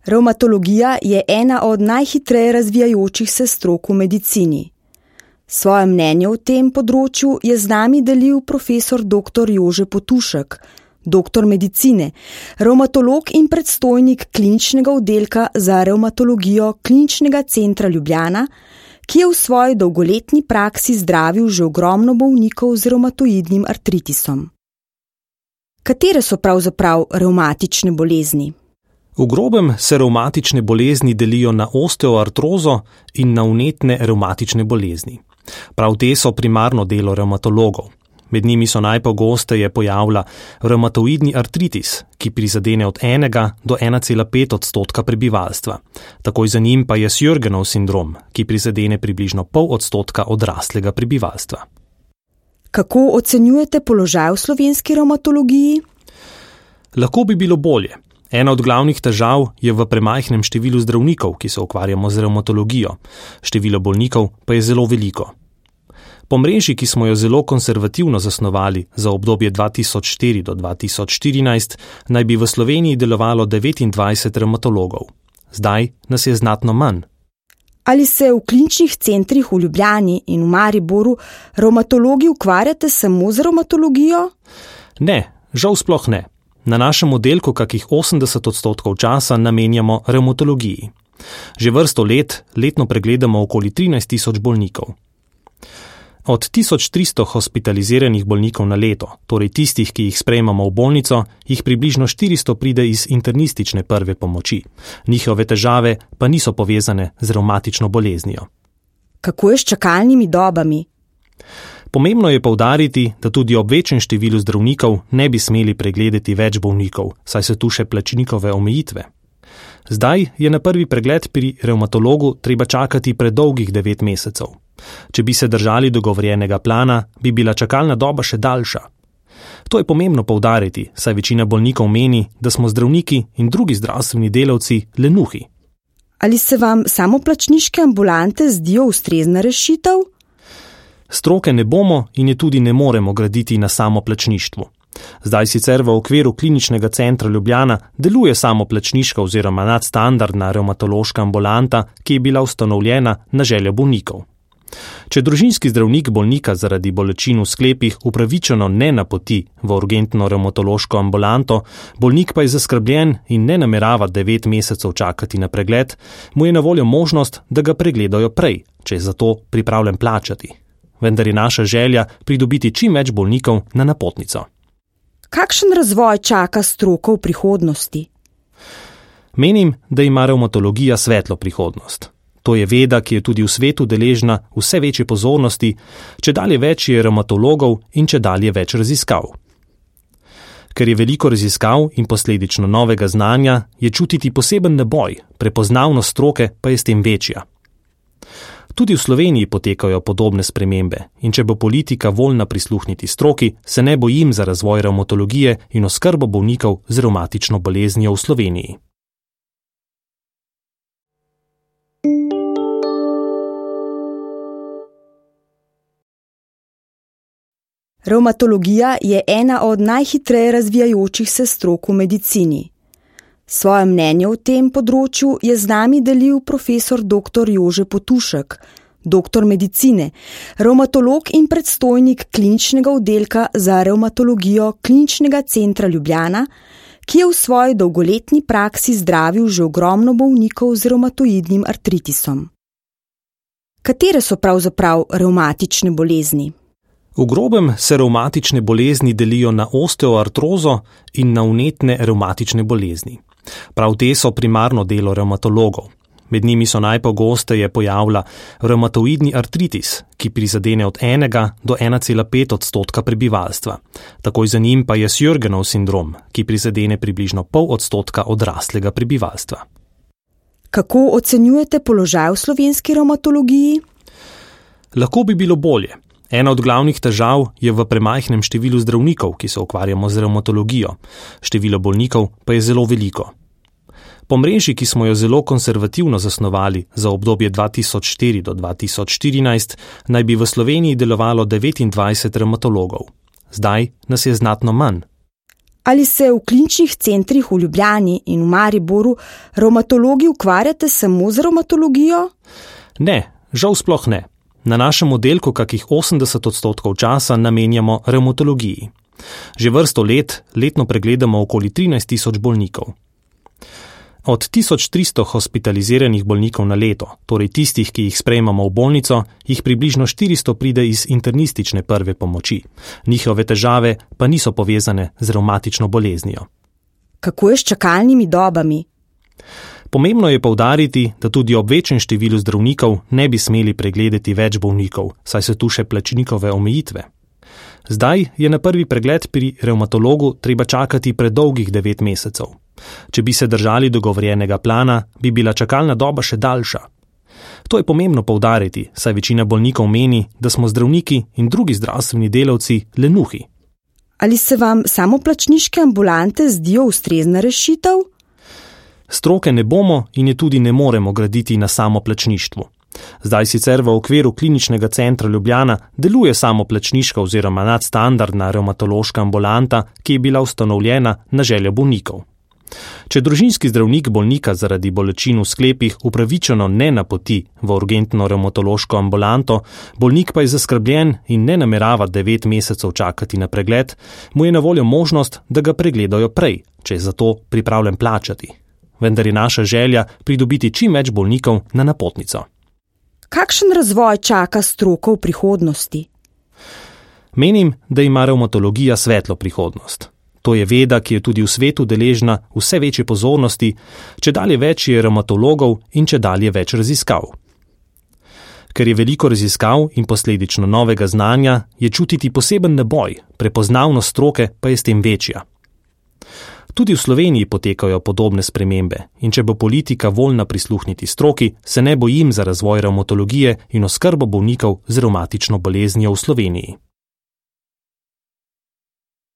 Revmatologija je ena od najhitreje razvijajočih se strok v medicini. Svoje mnenje o tem področju je z nami delil profesor dr. Jože Potušek, doktor medicine, revmatolog in predstojnik kliničnega oddelka za revmatologijo Kliničnega centra Ljubljana, ki je v svoji dolgoletni praksi zdravil že ogromno bolnikov z revmatoidnim artritisom. Katere so pravzaprav revmatične bolezni? V grobem se revmatične bolezni delijo na osteoartrozo in na vnetne revmatične bolezni. Prav te so primarno delo revmatologov. Med njimi so najpogosteje pojavlja revmatoidni artritis, ki prizadene od 1 do 1,5% prebivalstva. Takoj za njim pa je Sjörgenov sindrom, ki prizadene približno 0,5% odraslega prebivalstva. Kako ocenjujete položaj v slovenski revmatologiji? Lahko bi bilo bolje. Ena od glavnih težav je v premajhnem številu zdravnikov, ki se ukvarjamo z revmatologijo. Število bolnikov pa je zelo veliko. Po mreži, ki smo jo zelo konservativno zasnovali za obdobje 2004 do 2014, naj bi v Sloveniji delovalo 29 revmatologov. Zdaj nas je znatno manj. Ali se v kliničnih centrih v Ljubljani in v Mariboru revmatologi ukvarjate samo z revmatologijo? Ne, žal sploh ne. Na našem oddelku kakih 80% časa namenjamo revmatologiji. Že vrsto let letno pregledamo okoli 13,000 bolnikov. Od 1300 hospitaliziranih bolnikov na leto, torej tistih, ki jih sprejemamo v bolnico, jih približno 400 pride iz internistične prve pomoči. Njihove težave pa niso povezane z revmatično boleznijo. Kako je s čakalnimi dobami? Pomembno je poudariti, da tudi ob večjem številu zdravnikov ne bi smeli pregledati več bolnikov, saj so tu še plačnikove omejitve. Zdaj je na prvi pregled pri revmatologu treba čakati predolgih 9 mesecev. Če bi se držali dogovorjenega plana, bi bila čakalna doba še daljša. To je pomembno poudariti, saj večina bolnikov meni, da smo zdravniki in drugi zdravstveni delavci lenuhi. Ali se vam samoplačniške ambulante zdijo ustrezna rešitev? Stroke ne bomo in je tudi ne moremo graditi na samoplačništvu. Zdaj sicer v okviru Kliničnega centra Ljubljana deluje samoplačniška oziroma nadstandardna revmatološka ambulanta, ki je bila ustanovljena na željo bolnikov. Če družinski zdravnik bolnika zaradi bolečin v sklepih upravičeno ne napoti v urgentno revmatološko ambulanto, bolnik pa je zaskrbljen in ne namerava 9 mesecev čakati na pregled, mu je na voljo možnost, da ga pregledajo prej, če je za to pripravljen plačati. Vendar je naša želja pridobiti čim več bolnikov na napotnico. Kakšen razvoj čaka stroko v prihodnosti? Menim, da ima revmatologija svetlo prihodnost. To je veda, ki je tudi v svetu deležna vse večje pozornosti, čedalje več je revmatologov in čedalje več raziskav. Ker je veliko raziskav in posledično novega znanja, je čutiti poseben naboj, prepoznavnost stroke pa je s tem večja. Tudi v Sloveniji potekajo podobne spremembe in če bo politika voljna prisluhniti stroki, se ne bojim za razvoj revmatologije in oskrbo bolnikov z revmatično boleznijo v Sloveniji. Revmatologija je ena od najhitreje razvijajočih se strok v medicini. Svoje mnenje o tem področju je z nami delil profesor dr. Jože Potušek, doktor medicine, revmatolog in predstojnik kliničnega oddelka za revmatologijo Kliničnega centra Ljubljana, ki je v svoji dolgoletni praksi zdravil že ogromno bolnikov z revmatoidnim artritisom. Katere so pravzaprav revmatične bolezni? V grobem se revmatične bolezni delijo na osteoartrozo in na vnetne revmatične bolezni. Prav te so primarno delo revmatologov. Med njimi so najpogosteje pojavlja revmatoidni artritis, ki prizadene od 1 do 1,5% prebivalstva. Takoj za njim pa je Sjörgenov sindrom, ki prizadene približno 0,5% odraslega prebivalstva. Kako ocenjujete položaj v slovenski revmatologiji? Lahko bi bilo bolje. Ena od glavnih težav je v premajhnem številu zdravnikov, ki se ukvarjamo z revmatologijo. Število bolnikov pa je zelo veliko. Po mreži, ki smo jo zelo konservativno zasnovali za obdobje 2004 do 2014, naj bi v Sloveniji delovalo 29 revmatologov. Zdaj nas je znatno manj. Ali se v kliničnih centrih v Ljubljani in v Mariboru revmatologi ukvarjate samo z revmatologijo? Ne, žal sploh ne. Na našem oddelku kakih 80% časa namenjamo revmatologiji. Že vrsto let letno pregledamo okoli 13.000 bolnikov. Od 1300 hospitaliziranih bolnikov na leto, torej tistih, ki jih sprejemamo v bolnico, jih približno 400 pride iz internistične prve pomoči. Njihove težave pa niso povezane z revmatično boleznijo. Kako je s čakalnimi dobami? Pomembno je poudariti, da tudi ob večjem številu zdravnikov ne bi smeli pregledati več bolnikov, saj so tu še plačnikove omejitve. Zdaj je na prvi pregled pri revmatologu treba čakati predolgih 9 mesecev. Če bi se držali dogovorjenega plana, bi bila čakalna doba še daljša. To je pomembno poudariti, saj večina bolnikov meni, da smo zdravniki in drugi zdravstveni delavci lenuhi. Ali se vam samoplačniške ambulante zdijo ustrezna rešitev? Stroke ne bomo in je tudi ne moremo graditi na samoplačništvu. Zdaj sicer v okviru kliničnega centra Ljubljana deluje samoplačniška oziroma nadstandardna revmatološka ambulanta, ki je bila ustanovljena na željo bolnikov. Če družinski zdravnik bolnika zaradi bolečin v sklepih upravičeno ne napoti v urgentno revmatološko ambulanto, bolnik pa je zaskrbljen in ne namerava 9 mesecev čakati na pregled, mu je na voljo možnost, da ga pregledajo prej, če je za to pripravljen plačati. Vendar je naša želja pridobiti čim več bolnikov na napotnico. Kakšen razvoj čaka stroko v prihodnosti? Menim, da ima revmatologija svetlo prihodnost. To je veda, ki je tudi v svetu deležna vse večje pozornosti, čedalje več je revmatologov in čedalje več raziskav. Ker je veliko raziskav in posledično novega znanja, je čutiti poseben naboj, prepoznavnost stroke pa je s tem večja. Tudi v Sloveniji potekajo podobne spremembe in če bo politika voljna prisluhniti stroki, se ne bojim za razvoj revmatologije in oskrbo bolnikov z revmatično boleznijo v Sloveniji.